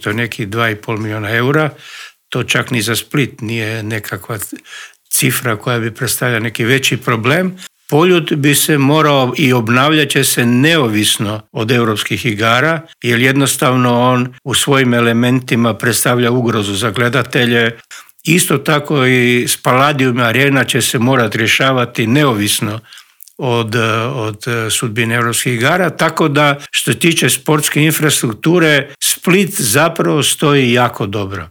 To je nekih 2,5 milijuna eura. To čak ni za Split nije nekakva cifra koja bi predstavljala neki veći problem. Poljud bi se morao i obnavljat će se neovisno od europskih igara, jer jednostavno on u svojim elementima predstavlja ugrozu za gledatelje. Isto tako i Spaladium Arena će se morati rješavati neovisno od sudbine europskih igara, tako da što se tiče sportske infrastrukture, Split zapravo stoji jako dobro.